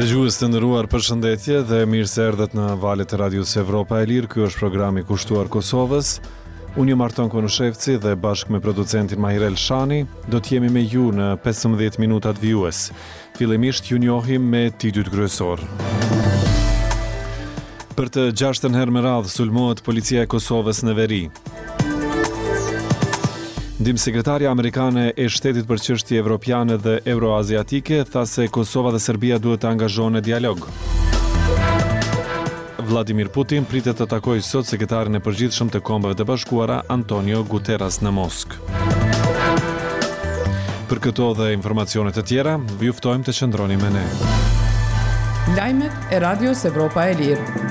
Dëgjues të nderuar, përshëndetje dhe mirë se erdhët në valët e Radios Evropa e Lirë. Ky është programi kushtuar Kosovës. Unë jam Arton Konushevci dhe bashkë me producentin Mahir Elshani do të jemi me ju në 15 minutat vijues. Fillimisht ju njohim me titujt kryesorë. Për të gjashtën herë me radhë sulmohet policia e Kosovës në veri. Ndihmësekretarja amerikane e Shtetit për Çështje Evropiane dhe Euroaziatike tha se Kosova dhe Serbia duhet të angazhohen në dialog. Vladimir Putin pritet të takojë sot sekretarin e përgjithshëm të Kombeve të Bashkuara, Antonio Guterres në Moskë. Për këto dhe informacione të tjera, ju ftojmë të qëndroni me ne. Lajmet e Radios Evropa e Lirë.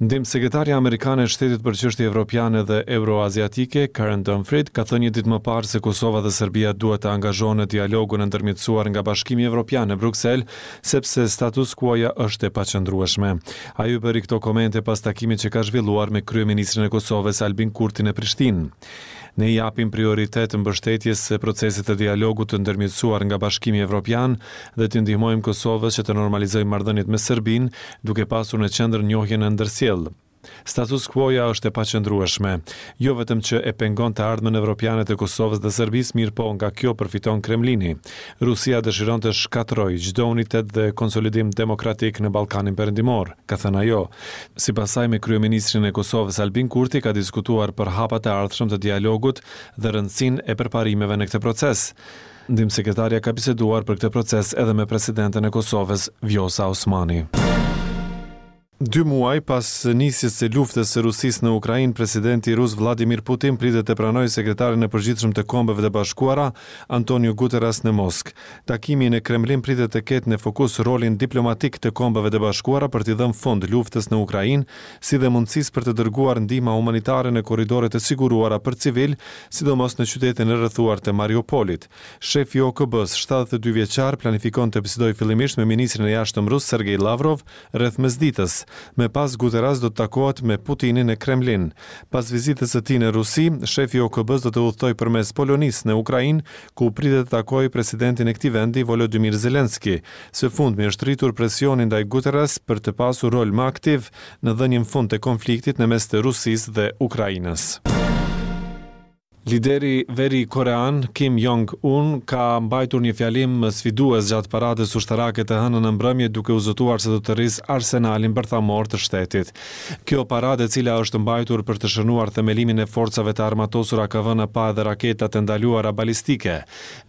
Ndihmësekretarja amerikane e Shtetit për Çështje Evropiane dhe Euroaziatike, Karen Donfried, ka thënë një ditë më parë se Kosova dhe Serbia duhet të angazhohen në dialogun e ndërmjetësuar nga Bashkimi Evropian në Bruksel, sepse status quo-ja është e paqëndrueshme. Ajo i bëri këto komente pas takimit që ka zhvilluar me kryeministrin e Kosovës, Albin Kurti në Prishtinë. Ne i japim prioritet mbështetjes së procesit të dialogut të ndërmjetësuar nga Bashkimi Evropian dhe t'i ndihmojmë Kosovës që të normalizojë marrëdhëniet me Serbinë, duke pasur në qendër njohjen e ndërsjellë. Status quo-ja është e paqëndrueshme. Jo vetëm që e pengon të ardhmen evropiane të Kosovës dhe Serbisë, mirëpo nga kjo përfiton Kremlini. Rusia dëshiron të shkatërrojë çdo unitet dhe konsolidim demokratik në Ballkanin Perëndimor, ka thënë ajo. Sipas saj, me kryeministrin e Kosovës, Albin Kurti, ka diskutuar për hapat e ardhshëm të dialogut dhe rëndësinë e përparimeve në këtë proces. Ndihmësekretarja ka biseduar për këtë proces edhe me presidenten e Kosovës, Vjosa Osmani. Dy muaj pas nisjes së luftës së Rusisë në Ukrainë, presidenti rus Vladimir Putin pritet të pranojë sekretarin e përgjithshëm të Kombeve të Bashkuara, Antonio Guterres në Moskë. Takimi në Kremlin pritet të ketë në fokus rolin diplomatik të Kombeve të Bashkuara për t'i dhënë fund luftës në Ukrainë, si dhe mundësisë për të dërguar ndihma humanitare në korridore të siguruara për civilë, sidomos në qytetin e rrethuar të Mariupolit. Shefi i OKB-së, 72 vjeçar, planifikon të bisedojë fillimisht me ministrin e Jashtëm rus Sergei Lavrov rreth mesditës. Më pas Guterres do të takohet me Putinin në Kremlin. Pas vizitës së tij në Rusi, shefi i OKB-së do të udhëtojë përmes Polonisë në Ukrainë, ku pritet të takojë presidentin e këtij vendi, Volodymyr Zelensky. Së fundmi është rritur presioni ndaj Guterres për të pasur rol më aktiv në dhënien fund të konfliktit në mes të Rusisë dhe Ukrainës. Lideri veri-korean, Kim Jong-un, ka mbajtur një fjalim sfidues gjatë paradës ushtarake të hënën në mbrëmje duke u zotuar se do të rrisë arsenalin bërthamor të shtetit. Kjo paradë e cila është mbajtur për të shënuar themelimin e forcave të armatosura ka vënë në pah edhe raketat e ndaluara balistike.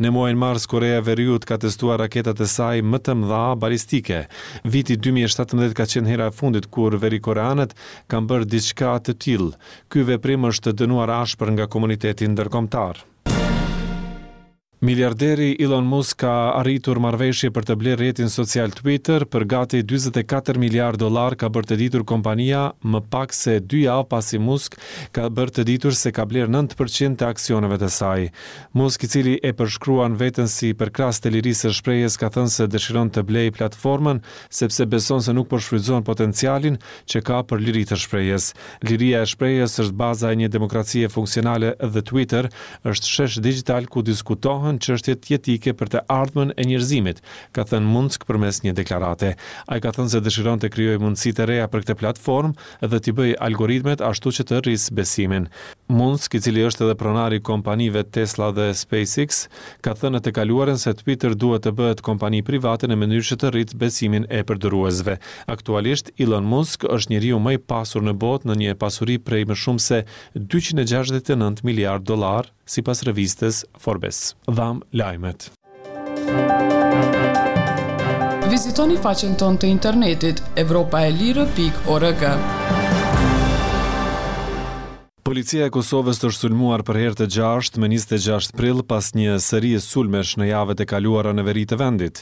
Në muajin mars Koreja e Veriut ka testuar raketat e saj më të mëdha balistike. Viti 2017 ka qenë hera e fundit kur verikoreanët kanë bërë diçka të tillë. Ky veprim është dënuar ashpër nga komuniteti ndërkombëtar. Miliarderi Elon Musk ka arritur marrëveshje për të blerë rrjetin social Twitter për gati 44 miliardë dollarë, ka bërë të ditur kompania më pak se dy javë pasi Musk ka bërë të ditur se ka blerë 9% të aksioneve të saj. Musk, i cili e përshkruan veten si përkrahës të lirisë së shprehjes, ka thënë se dëshiron të blejë platformën sepse beson se nuk po shfrytëzon potencialin që ka për liri të shprehjes. Liria e shprehjes është baza e një demokracie funksionale dhe Twitter është shesh digjital ku diskutohen çështjet jetike për të ardhmen e njerëzimit, ka thënë Musk përmes një deklarate. Ai ka thënë se dëshiron të krijojë mundësi të reja për këtë platformë dhe t'i bëjë algoritmet ashtu që të rrisë besimin. Musk, i cili është edhe pronar i kompanive Tesla dhe SpaceX, ka thënë në të kaluarën se Twitter duhet të bëhet kompani private në mënyrë që të rritë besimin e përdoruesve. Aktualisht, Elon Musk është njeriu më i pasur në botë në një pasuri prej më shumë se 269 miliardë dollarë, sipas revistës Forbes. Dhamë lajmet. Vizitoni faqen tonë të internetit evropaelire.org. Policia e Kosovës është sulmuar për herë të gjashtë më 26 prill pas një serie sulmesh në javët e kaluara në veri të vendit.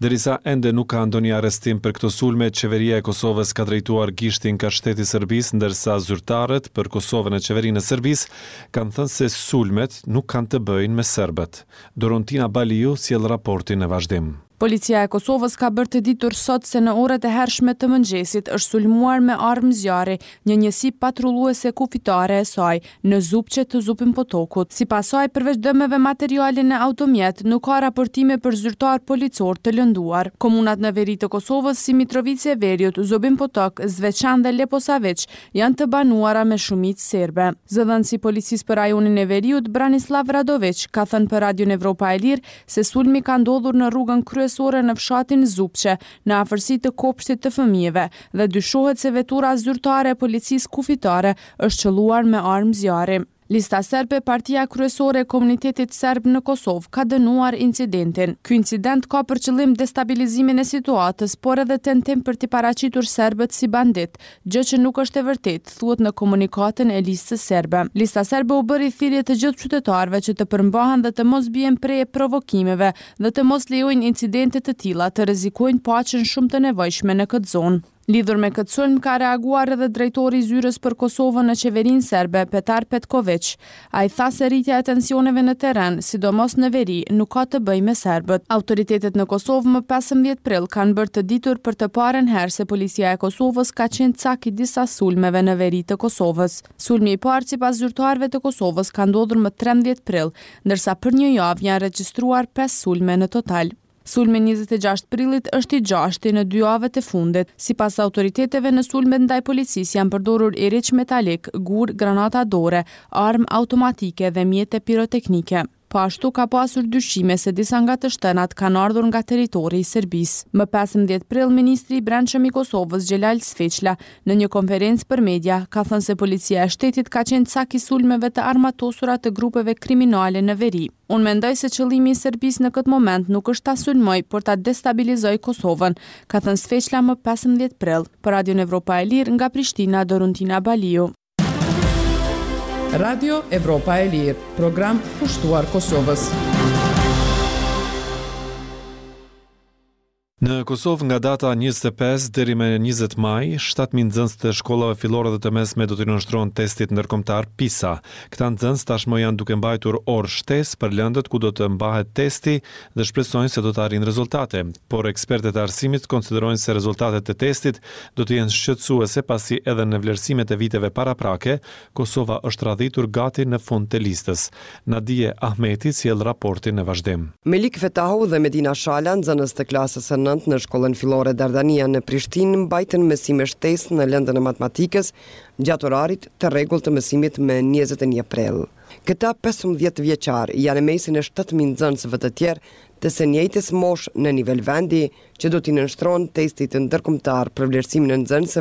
Derisa ende nuk ka ndonjë arrestim për këto sulme, qeveria e Kosovës ka drejtuar gishtin ka shteti i Serbisë, ndërsa zyrtarët për Kosovën e qeverinë e Serbisë kanë thënë se sulmet nuk kanë të bëjnë me serbët. Doruntina Baliu sjell raportin në vazhdim. Policia e Kosovës ka bërë të ditur sot se në orët e hershme të mëngjesit është sulmuar me armë zjarri një njësi patrulluese kufitare e saj në Zupçe të Zubin Potokut. Sipas saj, përveç dëmeve materiale në automjet, nuk ka raportime për zyrtarë policorë të lënduar. Komunat në veri të Kosovës si Mitrovicë e Veriut, Zubin Potok, Zveçan dhe Leposaviq janë të banuara me shumicë serbe. Zëdhënësi i Policisë për rajonin e Veriut, Branislav Radoviq, ka thënë për Radion Evropa e Lirë se sulmi ka ndodhur në rrugën kryesore në fshatin Zupçe, në afërsi të kopshtit të fëmijëve, dhe dyshohet se vetura zyrtare e policisë kufitare është qëlluar me armë zjarri. Lista Serbe, partia kryesore e komunitetit serb në Kosovë, ka dënuar incidentin. Ky incident ka për qëllim destabilizimin e situatës, por edhe tentim për t'i paraqitur serbët si banditë, gjë që nuk është e vërtetë, thuhet në komunikatën e Listës Serbe. Lista Serbe u bëri thirrje të gjithë qytetarëve që të përmbahen dhe të mos bien pre e provokimeve dhe të mos lejojnë incidente të tilla të rrezikojnë paqen shumë të nevojshme në këtë zonë. Lidhur me këtë sulm ka reaguar edhe drejtori i Zyrës për Kosovën në qeverinë serbe, Petar Petkoviq. Ai tha se rritja e tensioneve në terren, sidomos në veri, nuk ka të bëjë me serbët. Autoritetet në Kosovë më 15 prill kanë bërë të ditur për të parën herë se policia e Kosovës ka qenë cak i disa sulmeve në veri të Kosovës. Sulmi i parë sipas zyrtarëve të Kosovës ka ndodhur më 13 prill, ndërsa për një javë janë regjistruar 5 sulme në total. Sulmi i 26 prillit është i gjashti në dy javët e fundit. Sipas autoriteteve në sulmet ndaj policisë janë përdorur iriq metalik, gurë, granata dore, armë automatike dhe mjete piroteknike. Po ashtu ka pasur dyshime se disa nga të shtënat kanë ardhur nga territori i Serbisë. Më 15 prill, ministri i Brendshëm i Kosovës, Xhelal Sveçla, në një konferencë për media, ka thënë se policia e shtetit ka qenë cak i sulmeve të armatosura të grupeve kriminale në veri. Unë mendoj se qëllimi i Serbisë në këtë moment nuk është ta sulmojë, por ta destabilizojë Kosovën, ka thënë Sveçla më 15 prill. Për Radion Evropa e Lirë, nga Prishtina, Doruntina Baliu. Radio Evropa e Lirë, program kushtuar Kosovës. Në Kosovë nga data 25 deri më 20 maj, 7000 nxënës të shkollave fillore dhe të mesme do t'i nënshtrohen testit ndërkombëtar PISA. Këta nxënës tashmë janë duke mbajtur orë shtesë për lëndët ku do të mbahet testi dhe shpresojnë se do të arrijnë rezultate. Por ekspertët e arsimit konsiderojnë se rezultatet e testit do të jenë shqetësuese pasi edhe në vlerësimet e viteve paraprake, Kosova është radhitur gati në fund të listës. Nadije Ahmeti sjell raportin në vazhdim. Melik Fetahu dhe Medina Shala, nxënës të klasës së nëntë në shkollën fillore Dardania në Prishtinë, mbajtën mësime shtesë në lëndën e matematikës gjatë orarit të rregullt të mësimit më 21 prill. Këta 15 vjeçarë janë në mesin e 7000 nxënësve të tjerë të së njëjtës moshë në nivel vendi që do t'i nënshtrohen testit ndërkombëtar për vlerësimin e nxënësve.